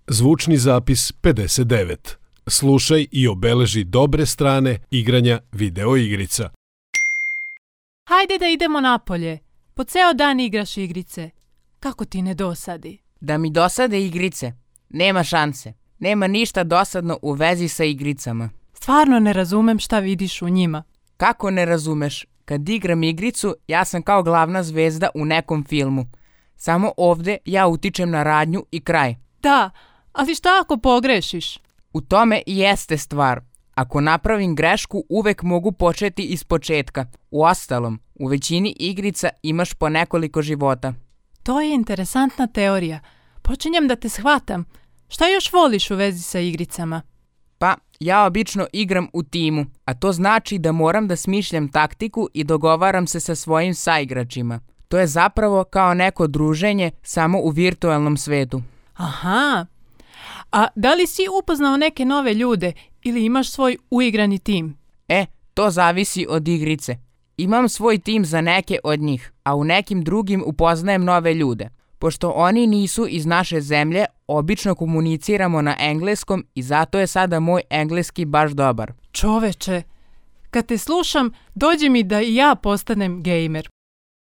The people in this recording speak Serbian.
Zvučni zapis 59. Slušaj i obeleži dobre strane igranja video igrica. Hajde da idemo napolje. Po ceo dan igraš igrice. Kako ti ne dosadi? Da mi dosade igrice? Nema šanse. Nema ništa dosadno u vezi sa igricama. Stvarno ne razumem šta vidiš u njima. Kako ne razumeš? Kad igram igricu, ja sam kao glavna zvezda u nekom filmu. Samo ovde ja utičem na radnju i kraj. Da, ali šta ako pogrešiš? U tome i jeste stvar. Ako napravim grešku, uvek mogu početi iz početka. Uostalom, u većini igrica imaš po nekoliko života. To je interesantna teorija. Počinjem da te shvatam. Šta još voliš u vezi sa igricama? Pa, ja obično igram u timu, a to znači da moram da smišljam taktiku i dogovaram se sa svojim saigračima. To je zapravo kao neko druženje samo u virtualnom svetu. Aha. A da li si upoznao neke nove ljude ili imaš svoj uigrani tim? To zavisi od igrice. Imam svoj tim za neke od njih, a u nekim drugim upoznajem nove ljude. Pošto oni nisu iz naše zemlje, obično komuniciramo na engleskom i zato je sada moj engleski baš dobar. Čoveče, kad te slušam, dođe mi da i ja postanem gejmer.